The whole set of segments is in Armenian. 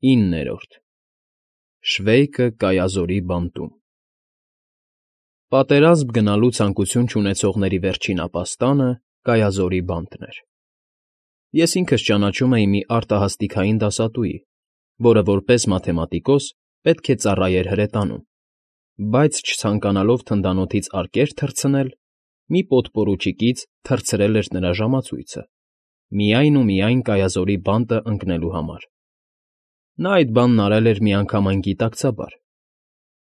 9 Շվեյկը Կայազորի բանտում Պատերազմ գնալու ցանկություն չունեցողների վերջին ապաստանը Կայազորի բանտն էր։ Ես ինքս ճանաչում էի մի արտահասթիկային դասատուի, որը որպես մաթեմատիկոս պետք է ծառայեր հրետանում, բայց չցանկանալով թնդանոթից արկեր թռցնել, մի պոդպորուչիկից թռցրել էր նրա ժամացույցը, միայն ու միայն Կայազորի բանտը ընկնելու համար։ Նա այդ բանն արել էր միանգամայն գիտակցաբար։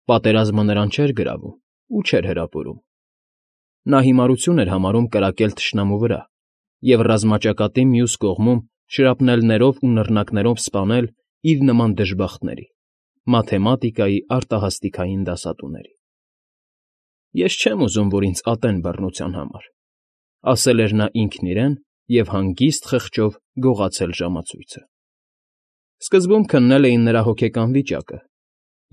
Պատերազմը նրան չէր գրավում ու չէր հրապուրում։ Նա հիմարություն էր համարում կրակել թշնամու վրա և ռազմաճակատի մյուս կողմում շրապնելներով ու նռնակներով սպանել իր նման դժբախտների՝ մաթեմատիկայի արտահասթիկային դասատուների։ «Ես չեմ ուզում, որ ինձ ատեն բռնության համար», ասել էր նա ինքն իրեն և հանգիստ խղճով գողացել ժամացույցը։ Սկզբում քննել էին նրա հոգեկան վիճակը,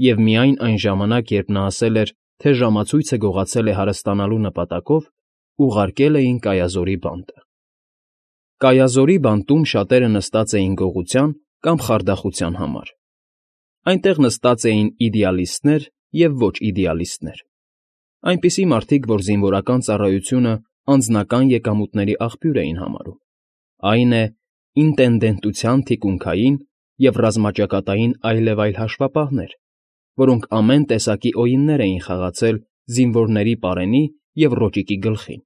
և միայն այն ժամանակ, երբ նա ասել էր, թե ժամացույցը գողացել է հարստանալու նպատակով, ուղարկել էին Կայազորի բանտը։ Կայազորի բանտում շատերը նստած էին գողության կամ խարդախության համար։ Այնտեղ նստած էին իդեալիստներ և ոչ իդեալիստներ, այնպիսի մարդիկ, որ զինվորական ծառայությունը անձնական եկամուտների աղբյուր էին համարում, այն է, ինտենդենտության թիկունքային և ռազմաճակատային այլևայլ հաշվապահներ, որոնք ամեն տեսակի օյիններ էին խաղացել զինվորների պարենի և ռոճիկի գլխին,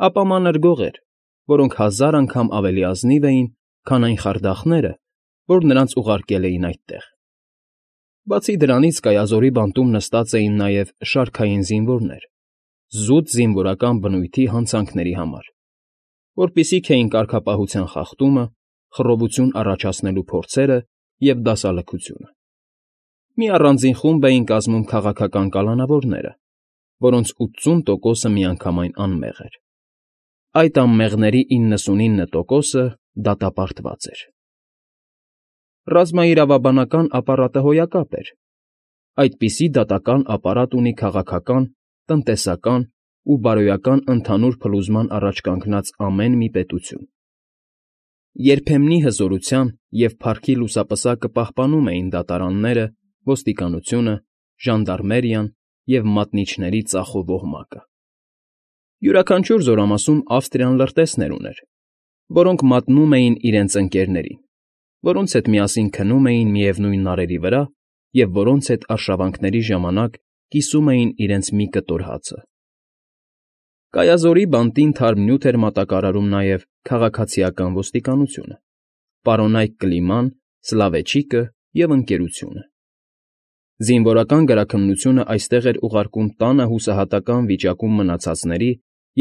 ապա մանր գողեր, որոնք 1000 անգամ ավելի ազնիվ էին, քան այն խարդախները, որ նրանց ուղարկել էին այդտեղ։ Բացի դրանից Կայազորի բանտում նստած էին նաև շարքային զինվորներ, զուտ զինվորական բնույթի հանցանքների համար, որպիսիք էին կարգապահության խախտումը, խռովություն առաջացնելու փորձերը և դասալքությունը։ Մի առանձին խումբ էին կազմում քաղաքական կալանավորները, որոնց 80%-ը միանգամայն անմեղ էր։ Այդ անմեղների 99%-ը դատապարտված էր։ Ռազմաիրավաբանական ապարատը հոյակապ էր։ Այդպիսի դատական ապարատ ունի քաղաքական, տնտեսական ու բարոյական ընդհանուր փլուզման առաջ կանգնած ամեն մի պետություն։ Երբեմնի հզորության և փառքի լուսապսակը պահպանում էին դատարանները, ոստիկանությունը, ժանդարմերիան և մատնիչների ծախող ոհմակը։ Յուրաքանչյուր զորամասում Ավստրիան լրտեսներ ուներ, որոնք մատնում էին իրենց ընկերներին, որոնց հետ միասին քնում էին միևնույն նարերի վրա և որոնց հետ արշավանքների ժամանակ կիսում էին իրենց մի կտոր հացը։ Կայազորի բանտին թարմ նյութ էր մատակարարում նաև քաղաքացիական ոստիկանությունը, պարոնայք կլիման, Սլավեչիկը և Ընկերությունը։ Զինվորական գրաքննությունը այստեղ էր ուղարկում տանը հուսահատական վիճակում մնացածների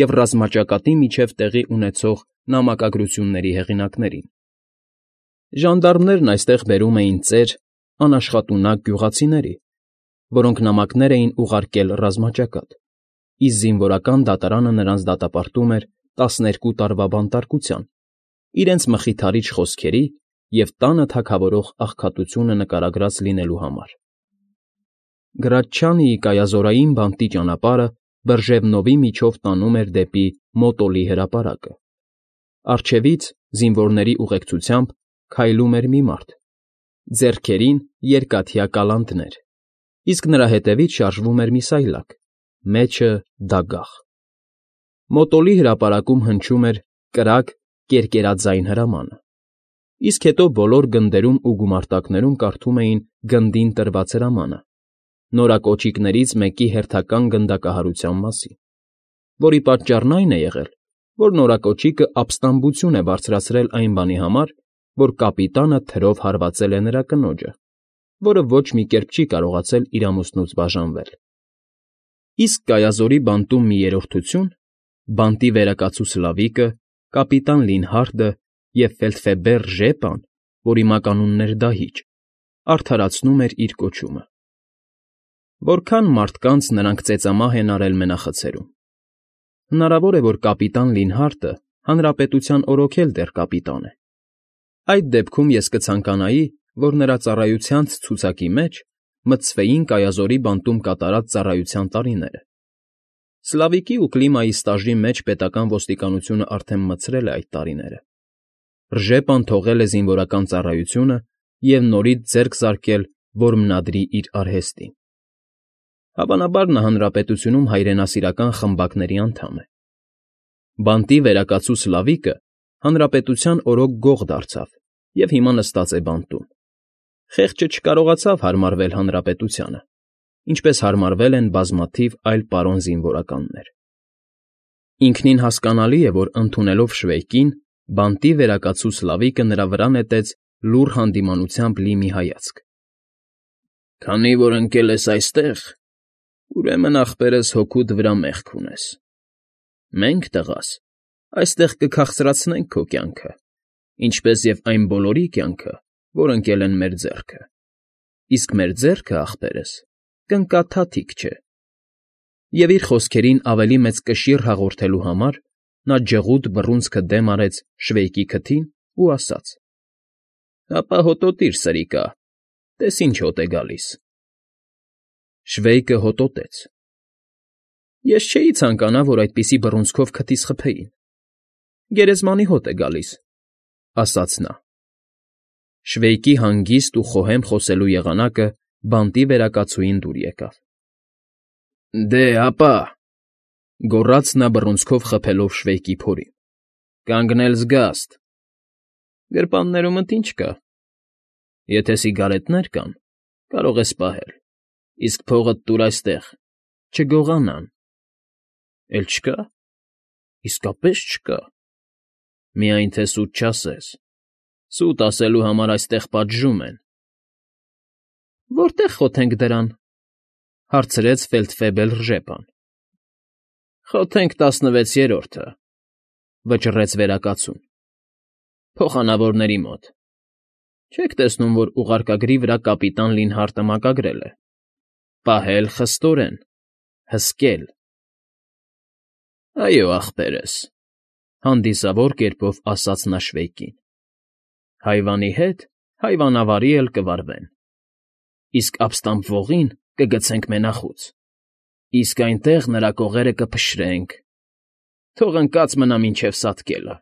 և ռազմաճակատի միջև տեղի ունեցող նամակագրությունների հեղինակներին։ Ժանդարմներն այստեղ բերում էին ծեր անաշխատունակ գյուղացիների, որոնք նամակներ էին ուղարկել ռազմաճակատ, իսկ զինվորական դատարանը նրանց դատապարտում էր 12 տարվա բանտարկության, իրենց մխիթարիչ խոսքերի և տանը թագավորող աղքատությունը նկարագրած լինելու համար։ Գրաչչանիի կայազորային բանտի ճանապարհը Բրջևնովի միջով տանում էր դեպի Մոտոլի հրապարակը։ Առջևից, զինվորների ուղեկցությամբ, քայլում էր մի մարդ, ձեռքերին երկաթյա կալանտներ, իսկ նրա հետևից շարժվում էր մի սայլակ, մեջը դագաղ։ Մոտոլի հրապարակում հնչում էր կրակ կերկերաձայն հրամանը, իսկ հետո բոլոր գնդերում ու գումարտակներում կարդում էին գնդին տրված հրամանը, նորակոճիկներից մեկի հերթական գնդակահարության մասին, որի պատճառն այն է եղել, որ նորակոճիկը ապստամբություն է բարձրացրել այն բանի համար, որ կապիտանը թրով հարվածել է նրա կնոջը, որը ոչ մի կերպ չի կարողացել իր ամուսնուց բաժանվել։ Իսկ Կայազորի բանտում մի երրորդություն, բանտի վերակացու Սլավիկը, կապիտան Լինհարդը և ֆելդֆեբեր Ժեպան, որի մականունն էր Դահիճ, արդարացնում էր իր կոչումը։ Որքան մարդկանց նրանք ծեծամահ են արել մենախցերում։ Հնարավոր է, որ կապիտան Լինհարդը հանրապետության օրոքել դեռ կապիտան է։ Այդ դեպքում ես կցանկանայի, որ նրա ծառայության ցուցակի մեջ մտցվեին Կայազորի բանտում կատարած ծառայության տարիները։ Սլավիկի ու Կլիմայի ստաժի մեջ պետական ոստիկանությունը արդեն մտցրել է այդ տարիները։ Ռժեպան թողել է զինվորական ծառայությունը և նորից ձեռք զարկել, որ մնադրի իր արհեստին։ Հավանաբար նա հանրապետությունում հայրենասիրական խմբակների անդամ է։ Բանտի վերակացու Սլավիկը հանրապետության օրոք գող դարձավ և հիմա նստած է բանտում։ Խեղճը չկարողացավ հարմարվել հանրապետությանը, ինչպես հարմարվել են բազմաթիվ այլ պարոն զինվորականներ։ Ինքնին հասկանալի է, որ ընդունելով Շվեյկին, բանտի վերակացու Սլավիկը նրա վրա նետեց լուռ հանդիմանությամբ լի մի հայացք։ «Քանի որ ընկել ես այստեղ, ուրեմն ախպերս հոգուդ վրա մեղք ունես։ Մենք, տղաս, այստեղ կքաղցրացնենք քո կյանքը, ինչպես և այն բոլորի կյանքը, որ ընկել են մեր ձեռքը, իսկ մեր ձեռքը, ախպերս, կընկա թաթիկ չէ»։ Եվ իր խոսքերին ավելի մեծ կշիռ հաղորդելու համար նա ջղուդ բռունցքը դեմ արեց Շվեյկի քթին ու ասաց. «Հապա հոտոտիր, սրիկա, տես ինչ հոտ է գալիս»։ Շվեյկը հոտոտեց։ «Ես չէի ցանկանա, որ այդպիսի բռունցքով քթիս խփեին։ Գերեզմանի հոտ է գալիս», ֊ ասաց նա։ Շվեյկի հանգիստ ու խոհեմ խոսելու եղանակը բանտի վերակացուին դուր եկավ։ «Դե, հապա», ֊ գոռաց նա բռունցքով խփելով Շվեյկի փորին, ֊ «կանգնել զգաստ»։ «Գրպաններումդ ի՞նչ կա։ Եթե սիգարետներ կան, կարող ես պահել, իսկ փողդ տուր այստեղ, չգողանան»։ «Էլ չկա։ Իսկապես չկա։ Միայն թե սուտ չասես, սուտ ասելու համար այստեղ պատժում են»։ «Որտե՞ղ խոթենք դրան», ֊ հարցրեց Ֆեյլդֆեբել Ռժեպան։ «Խոթենք 16-րդը», ֊ վճռեց վերակացուն։ «Փոխանավորների մոտ։ Չեք տեսնում, որ ուղարկագրի վրա կապիտան Լինհարտը մակագրել է. «Պահել խստորեն, հսկել»։ «Այո, ախպերս», ֊ հանդիսավոր կերպով ասաց նա Շվեյկին։ «Հայվանի հետ հայվանավարի էլ կվարվեն, իսկ ապստամբվողին կգցենք մենախուց, իսկ այնտեղ նրա կողերը կփշրենք, թող ընկած մնա մինչև սատկելը։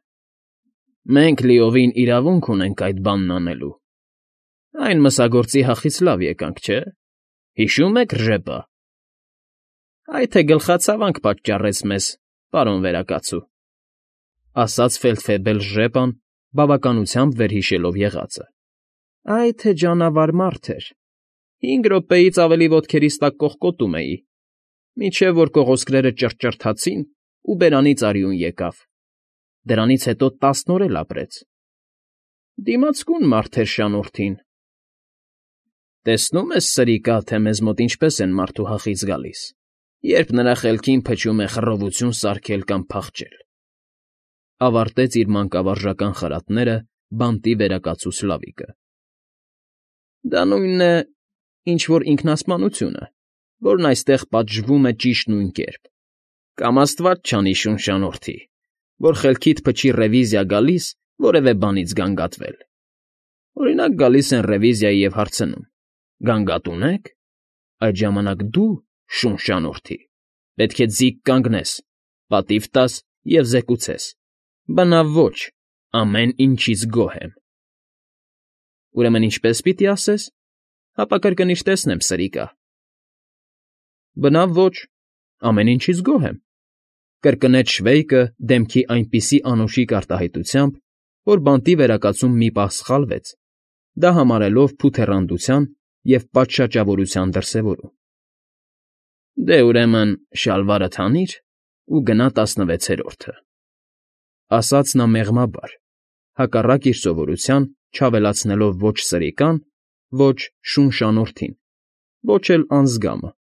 Մենք լիովին իրավունք ունենք այդ բանն անելու։ Այն մսագործի հախից լավ եկանք, չէ՞։ Հիշո՞ւմ եք, Ռժեպա։ Այ թե գլխացավանք պատճառեց մեզ, պարոն վերակացու», ֊ ասաց Ֆեյլդֆեբել Ռժեպան, բավականությամբ վերհիշելով եղածը։ «Այ թե ջանավար մարդ էր, 5 րոպեից ավելի ոտքերիս տակ կողկոտում էի, մինչև որ կողոսկրերը ճռճռթացին ու բերանից արյուն եկավ, դրանից հետո 10 օր էլ ապրեց։ Դիմացկուն մարդ էր շանորդին։ Տեսնում ես, սրիկա, թե մեզ մոտ ինչպես են մարդու հախից գալիս, երբ նրա խելքին փչում է խռովություն սարքել կամ փախչել», ֊ ավարտեց իր մանկավարժական խրատները բանտի վերակացու Սլավիկը։ «Դա նույնն է, ինչ որ ինքնասպանությունը, որն այստեղ պատժվում է ճիշտ նույն կերպ, կամ աստված չանի, շունշանորդի, որ խելքիդ փչի ռևիզիա գալիս որևէ բանից գանգատվել։ Օրինակ, գալիս են ռևիզիայի և հարցնում. «Գանգատ ունե՞ք»։ Այդ ժամանակ դու, շունշանորդի, պետք է ձիգ կանգնես, պատիվ տաս և զեկուցես. «Բնավ ոչ, ամեն ինչից գոհ եմ»։ Ուրեմն ինչպե՞ս պիտի ասես։ Հապա կրկնիշ տեսնեմ, սրիկա։ «Բնավ ոչ, ամեն ինչից գոհ եմ», ֊ կրկնեց Շվեյկը դեմքի այնպիսի անուշիկ արտահայտությամբ, որ բանտի վերակացում մի պահ սխալվեց, դա համարելով փութեռանդության և պատշաճավորության դրսևորում։ «Դե, ուրեմն, շալվարդ հանիր ու գնա 16-րդը», ֊ ասաց նա մեղմաբար, հակառակ իր սովորության չավելացնելով ոչ սրիկան, ոչ շունշանորդին, ոչ էլ անձգամը։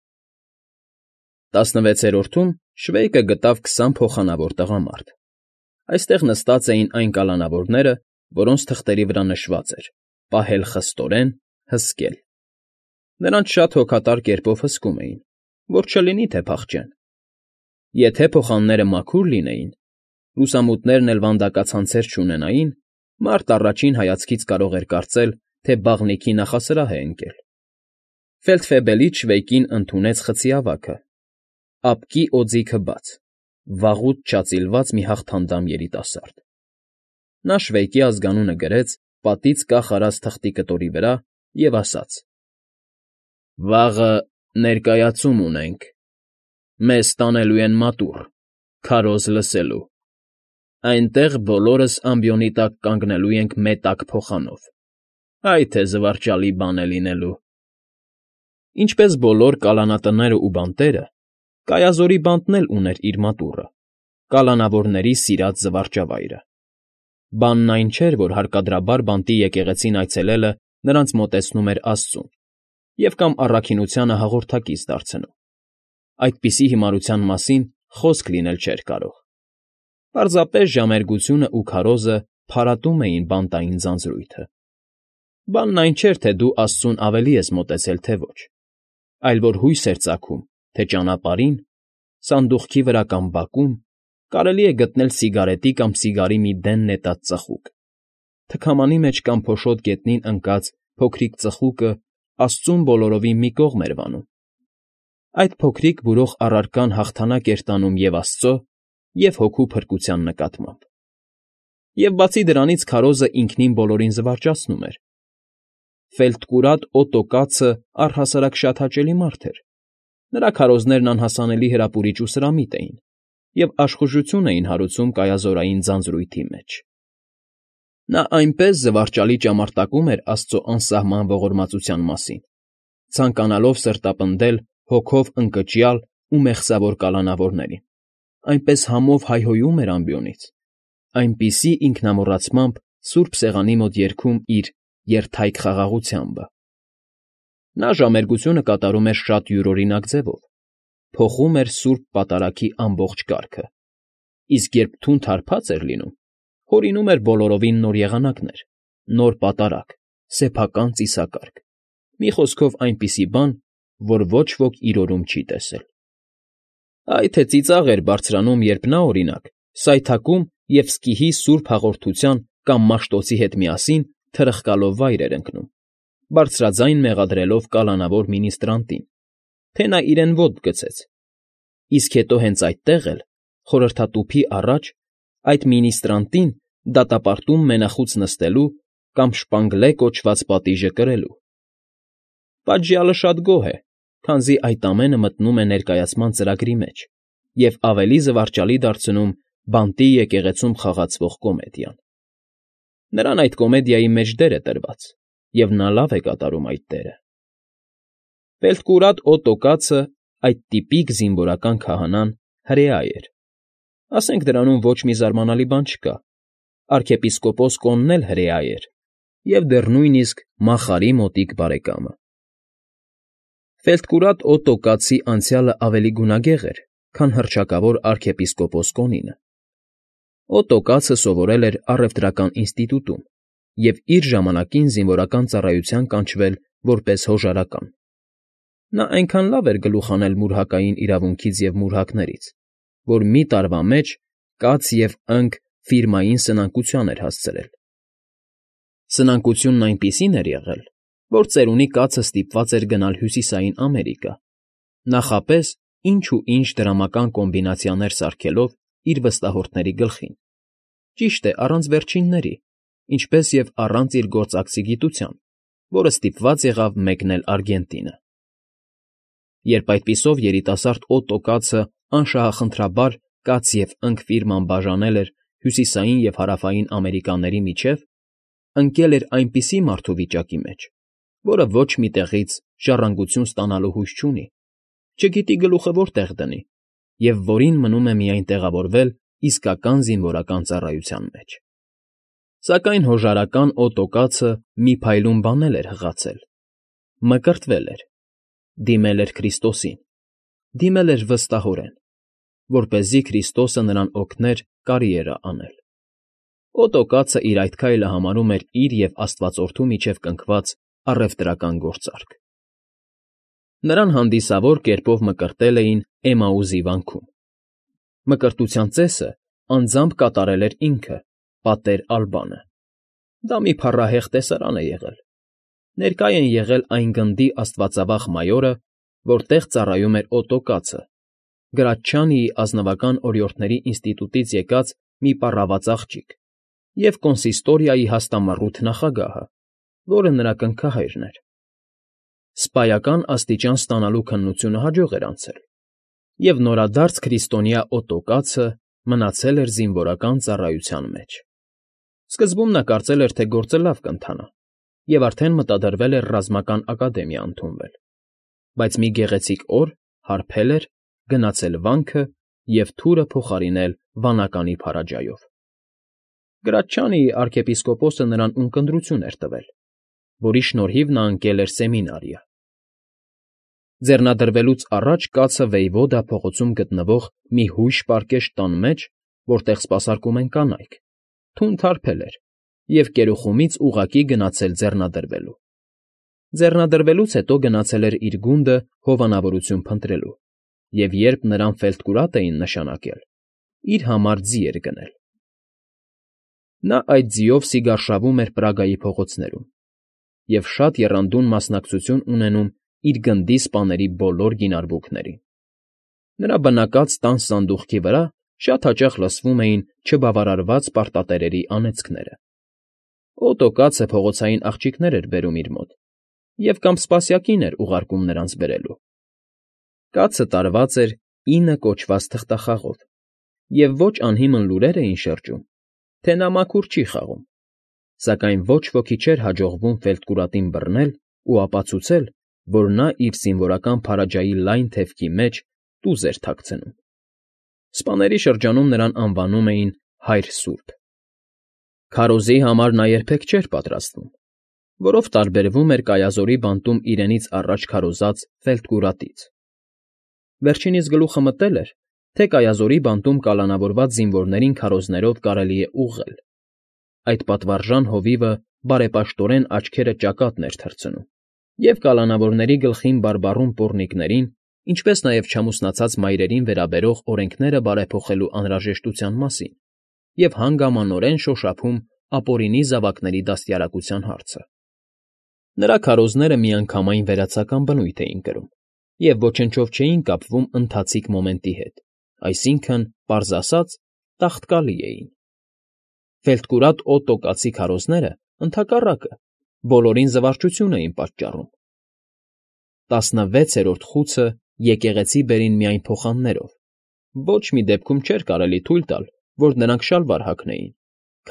16-րդում Շվեյկը գտավ 20 փոխանավոր տղամարդ։ Այստեղ նստած էին այն կալանավորները, որոնց թղթերի վրա նշված էր. «Պահել խստորեն, հսկել»։ Նրանց շատ հոգատար կերպով հսկում էին, որ չլինի թե փախչեն։ Եթե փոխանները մաքուր լինեին, լուսամուտներն էլ վանդակացանցեր չունենային, մարդ առաջին հայացքից կարող էր կարծել, թե բաղնիքի նախասրահ է ընկել։ Ֆեյլդֆեբելից Շվեյկին ընդունեց խցի ավագը, ապկի օձիքը բաց, վաղուց չածիլված մի հաղթանդամ երիտասարդ։ Նա Շվեյկի ազգանունը գրեց պատից կախ արած թղթի կտորի վրա և ասաց. «Վաղը ներկայացում ունենք. մեզ տանելու են մատուռ, քարոզ լսելու, այնտեղ բոլորս ամբիոնի տակ կանգնելու ենք մետակ փոխանով, այ թե զվարճալի բան է լինելու»։ Ինչպես բոլոր կալանատներն ու բանտերը, Կայազորի բանտն էլ ուներ իր մատուռը, կալանավորների սիրած զվարճավայրը։ Բանն այն չէր, որ հարկադրաբար բանտի եկեղեցին այցելելը նրանց մոտեցնում էր աստծուն և կամ առաքինությանը հաղորդակից դարձնում։ Այդպիսի հիմարության մասին խոսք լինել չէր կարող։ Պարզապես ժամերգությունն ու քարոզը փարատում էին բանտային ձանձրույթը։ Բանն այն չէր, թե դու աստծուն ավելի ես մոտեցել, թե ոչ, այլ որ հույս էր ծագում, թե ճանապարհին, սանդուղքի վրա կամ բակում կարելի է գտնել սիգարետի կամ սիգարի մի դեն նետած ծխուկ, թքամանի մեջ կամ փոշոտ գետնին ընկած փոքրիկ ծխուկը աստծուն բոլորովին մի կողմ էր վանում։ Այդ փոքրիկ բուրող առարկան հաղթանակ էր տանում և աստծո, և հոգու փրկության նկատմամբ։ Եվ բացի դրանից քարոզը ինքնին բոլորին զվարճացնում էր։ Ֆելտկուրատ Օտո կացը առհասարակ շատ հաճելի մարդ էր։ Նրա քարոզներն անհասանելի հրապուրիչ ու սրամիտ էին և աշխուժություն էին հարուցում կայազորային ձանձրույթի մեջ։ Նա այնպես զվարճալի ճամարտակում էր աստծո անսահման ողորմածության մասին, ցանկանալով սրտապնդել հոգով ընկճյալ ու մեղսավոր կալանավորներին, այնպես համով հայհոյում էր ամբիոնից, այնպիսի ինքնամոռացմամբ սուրբ սեղանի մոտ երգում իր երդայք խաղաղությամբ։ Նա ժամերգությունը կատարում էր շատ յուրօրինակ ձևով, փոխում էր սուրբ պատարագի ամբողջ կարգը, իսկ երբ թունդ հարբած էր լինում, հորինում էր բոլորովին նոր եղանակներ, նոր պատարագ, սեփական ծիսակարգ, մի խոսքով այնպիսի բան, որ ոչ ոք իր օրում չի տեսել։ Այ թե ծիծաղ էր բարձրանում, երբ նա, օրինակ, սայթաքում և սկիհի սուրբ հաղորդության կամ Մաշտոցի հետ միասին թրխկալով վայր էր ընկնում, բարձրաձայն մեղադրելով կալանավոր մինիստրանտին, թե նա իրեն ոտք գցեց, իսկ հետո հենց այդտեղ էլ, խորհրդատուփի առաջ, այդ մինիստրանտին դատապարտում մենախուց նստելու կամ շպանգլե կոչված պատիժը կրելու։ Պատժյալը շատ գոհ է, քանզի այդ ամենը մտնում է ներկայացման ծրագրի մեջ և ավելի զվարճալի դարձնում բանտի եկեղեցում խաղացվող կոմեդիան։ Նրան այդ կոմեդիայի մեջ դեր է տրված, և նա լավ է կատարում այդ դերը։ Ֆելտկուրատ Օտո կացը, այդ տիպիկ զինվորական քահանան, հրեա էր։ Ասենք դրանում ոչ մի զարմանալի բան չկա։ Արքեպիսկոպոս Կոնն էլ հրեա էր և դեռ նույնիսկ Մախարի մոտիկ բարեկամը։ Ֆելտկուրատ Օտո կացի անցյալը ավելի գունագեղ էր, քան հռչակավոր արքեպիսկոպոս Կոնինը։ Օտո կացը սովորել էր առևտրական ինստիտուտում և իր ժամանակին զինվորական ծառայության կանչվել որպես հոժարական։ Նա այնքան լավ էր գլուխ հանել մուրհակային իրավունքից և մուրհակներից, որ մի տարվա մեջ կաց և ընկ ֆիրմային սնանկության էր հասցրել։ Սնանկությունն այնպիսին էր եղել, որ ծերունի կացը ստիպված էր գնալ Հյուսիսային Ամերիկա, նախապես ինչ ու ինչ դրամական կոմբինացիաներ սարքելով իր վստահորդների գլխին, ճիշտ է, առանց վերջինների, ինչպես և առանց իր գործակցի գիտության, որը ստիպված եղավ մեկնել Արգենտինը։ Երբ այդպիսով երիտասարդ Օտո կացը անշահախնդրաբար կաց և ընկ ֆիրման բաժանել էր Հյուսիսային և Հարավային Ամերիկաների միջև, ընկել էր այնպիսի մարդու վիճակի մեջ, որը ոչ մի տեղից ժառանգություն ստանալու հույս չունի, չգիտի գլուխը որտեղ դնի և որին մնում է միայն տեղավորվել իսկական զինվորական ծառայության մեջ։ Սակայն հոժարական Օտո կացը մի փայլուն բան էլ էր հղացել. մկրտվել էր, դիմել էր Քրիստոսին, դիմել էր վստահորեն, որպեսզի Քրիստոսը նրան օգներ կարիերա անել։ Օտո կացը իր այդ քայլը համարում էր իր և Աստվածորդու միջև կնքված առևտրական գործարք։ Նրան հանդիսավոր կերպով մկրտել էին Էմաուզի վանքում։ Մկրտության ծեսը անձամբ կատարել էր ինքը, պատեր Ալբանը։ Դա մի փառահեղ տեսարան է եղել։ Ներկա են եղել այն գնդի աստվածավախ մայորը, որտեղ ծառայում էր Օտո կացը, Գրաչչանիի ազնվական օրիորդների ինստիտուտից եկած մի պառաված աղջիկ, և կոնսիստորիայի հաստամառութ նախագահը, որը նրա կնքահայրն էր։ Սպայական աստիճան ստանալու քննությունը հաջող էր անցել, և նորադարձ քրիստոնյա Օտո մնացել էր զինվորական ծառայության մեջ։ Սկզբում նա կարծել էր, թե գործը լավ կընթանա, և արդեն մտադրվել էր ռազմական ակադեմիա ընդունվել, բայց մի գեղեցիկ օր հարբել էր, գնացել վանքը և թուրը փոխարինել վանականի փարաջայով։ Գրաչչանի արքեպիսկոպոսը նրան ունկնդրություն էր տվել, որի շնորհիվ նա ընկել էր սեմինարիա։ Ձեռնադրվելուց առաջ կացը Վեյվոդա փողոցում գտնվող մի հույժ պարկեշտ տան մեջ, որտեղ սպասարկում են կանայք, թունդ հարբել էր և կերուխումից ուղղակի գնացել ձեռնադրվելու։ Ձեռնադրվելուց հետո գնացել էր իր գունդը հովանավորություն փնտրելու և երբ նրան ֆելտկուրատ էին նշանակել, իր համար ձի էր գնել։ Նա այդ ձիով սիգարշավում էր Պրագայի փողոցներում և շատ եռանդուն մասնակցություն ունենում իր գնդի սպաների բոլոր գինարվուքներին։ Նրա բնակած տան սանդուղքի վրա շատ հաճախ լսվում էին չբավարարված պարտատերերի անեծքները։ Օտո կացը փողոցային աղջիկներ էր բերում իր մոտ և կամ սպասյակին էր ուղարկում նրանց բերելու։ Կացը տարված էր 9 կոչված թղթախաղով, և ոչ անհիմն լուրեր էին շրջում, թե նա մաքուր չի խաղում, սակայն ոչ ոքի չէր հաջողվում ֆելտկուրատին բռնել ու ապացուցել, որ նա իր զինվորական փարաջայի լայն թևքի մեջ տուզ էր թաքցնում։ Սպաների շրջանում նրան անվանում էին Հայր Սուրբ։ Քարոզի համար նա երբեք չէր պատրաստվում, որով տարբերվում էր Կայազորի բանտում իրենից առաջ քարոզած ֆելտկուրատից։ Վերջինիս գլուխը մտել էր, թե Կայազորի բանտում կալանավորված զինվորներին քարոզներով կարելի է ուղղել։ Այդ պատվարժան հովիվը բարեպաշտորեն աչքերը ճակատն էր թռցնում, և կալանավորների գլխին բարբառում պոռնիկներին, ինչպես նաև չամուսնացած մայրերին վերաբերող օրենքները բարեփոխելու անհրաժեշտության մասին և հանգամանորեն շոշափում ապօրինի զավակների դաստիարակության հարցը։ Նրա քարոզները միանգամայն վերացական բնույթ էին կրում և ոչնչով չէին կապվում ընթացիկ մոմենտի հետ, այսինքն, պարզ ասած, տաղտկալի էին։ Ֆելտկուրատ Օտո կացի քարոզները, ընդհակառակը, բոլորին զվարճություն էին պատճառում։ 16-րդ խուցը եկեղեցի բերին միայն փոխաններով, ոչ մի դեպքում չէր կարելի թույլ տալ, որ նրանք շալվար հագնեին,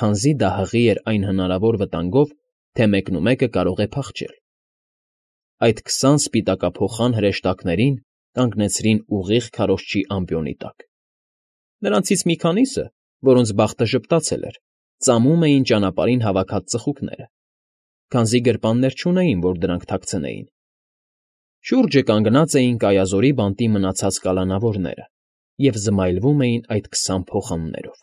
քանզի դա հղի էր այն հնարավոր վտանգով, թե մեկնումեկը կարող է փախչել։ Այդ 20 սպիտակափոխան հրեշտակներին կանգնեցրին ուղիղ քարոզչի ամբիոնի տակ։ Նրանցից մի քանիսը, որոնց բախտը ժպտացել էր, ծամում էին ճանապարհին հավաքած ծխուկները, քանզի գրպաններ չունեին, որ դրանք թաքցնեին։ Շուրջը կանգնած էին Կայազորի բանտի մնացած կալանավորները և զմայլվում էին այդ 20 փոխաններով։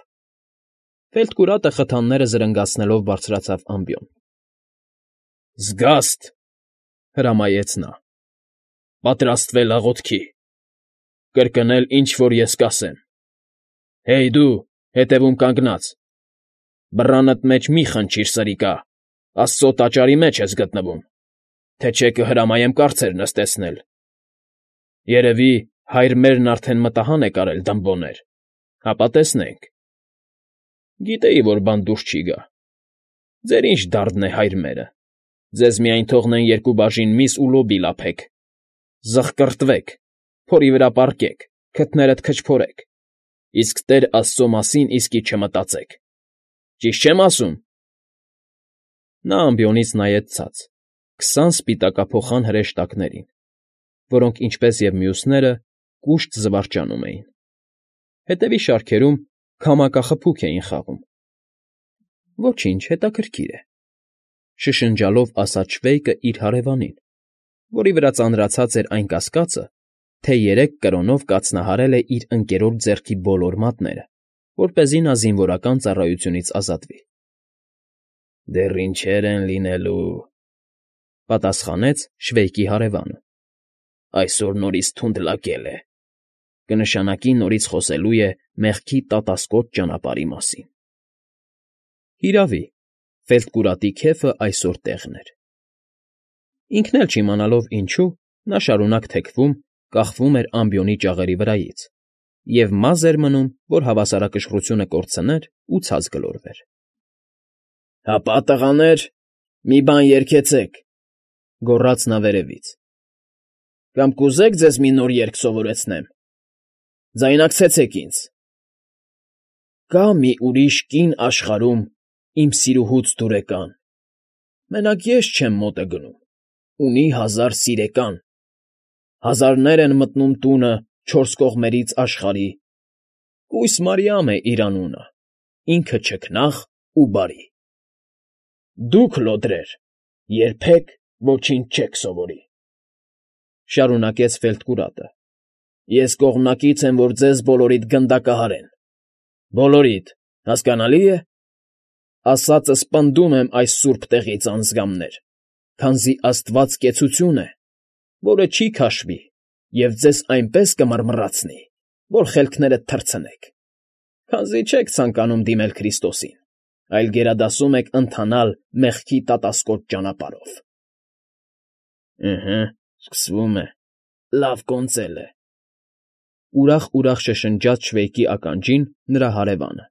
Ֆելտկուրատը խթանները զրնգացնելով բարձրացավ ամբիոն։ «Զգաստ,֊ հրամայեց նա,֊ պատրաստվել աղոթքի, կրկնել, ինչ որ ես կասեմ։ Հեյ դու, հետևում կանգնած, բռանդ մեջ մի խնչիր, սրիկա, Աստծո տաճարի մեջ ես գտնվում, թե չէ կհրամայեմ կարծեր նստեցնել։ Երևի հայր մերն արդեն մտահան է կարել դմբոներ, հապա տեսնենք։ Գիտեի, որ բան դուրս չի գա։ Ձեր ինչ դարդն է հայր մերը, ձեզ միայն թողնեն երկու բաժին միս ու լոբիա լափեք, զղկռտվեք, փորի վրա պառկեք, քթներդ քչփորեք, իսկ Տեր Աստծո մասին իսկի չմտածեք։ Ճիշտ չեմ ասում։ Նա ամբիոնից նայեց ցած, 20 սպիտակափոխան հրեշտակներին, որոնք, ինչպես և մյուսները, կուշտ զվարճանում էին։ Հետևի շարքերում քամակախփուկ էին խաղում։ Ոչինչ, հետաքրքիր է,֊ շշնջալով ասաց Շվեյկը իր հարևանին, որի վրա ծանրացած էր այն կասկածը, թե 3 կրոնով կաթնահարել է իր ընկերոջ ձեռքի բոլոր մատները, որպեսզի նա զինվորական ծառայությունից ազատվի։ Դեռ ինչեր են լինելու,֊ պատասխանեց Շվեյկի հարևանը։ Այսօր նորից թունդ լակել է, կնշանակի նորից խոսելու է մեղքի տատասկոտ ճանապարհի մասին։ Հիրավի, ֆելտկուրատի քեֆը այսօր տեղն էր։ Ինքն էլ չիմանալով ինչու, նա շարունակ թեքվում, կախվում էր ամբիոնի ճաղերի վրայից և մազ էր մնում, որ հավասարակշռությունը կորցներ ու ցած գլորվեր։ Հապա, տղաներ, մի բան երգեցեք,֊ գոռաց նա վերևից։ Կամ կուզե՞ք ձեզ մի նոր երգ սովորեցնեմ. ձայնակցեցեք ինձ. Կա մի ուրիշ կին աշխարհում, իմ սիրուհուց դուրեկան, մենակ ես չեմ մոտը գնում, ունի 1000 սիրեկան, հազարներ են մտնում տունը չորս կողմերից աշխարհի, կույս Մարիամ է իր անունը, ինքը չքնաղ ու բարի։ Դուք, լոդրեր, երբեք ոչինչ չեք սովորի,֊ շարունակեց Ֆելտկուրատը։֊ Ես կողմնակից եմ, որ ձեզ բոլորիդ գնդակահարեն, բոլորիդ, հասկանալի՞ է։ Ասածս պնդում եմ այս սուրբ տեղից, անձգամներ, քանզի աստված կեցություն է, որը չի քաշվի և ձեզ այնպես կմռմռացնի, որ խելքներդ թռցնեք, քանզի չեք ցանկանում դիմել Քրիստոսին, այլ գերադասում եք ընթանալ մեղքի տատասկոտ ճանապարհով։ Ըհը, սկսվում է, լավ կոնծել է,֊ ուրախ֊ուրախ շշնջաց Շվեյկի ականջին նրա հարևանը։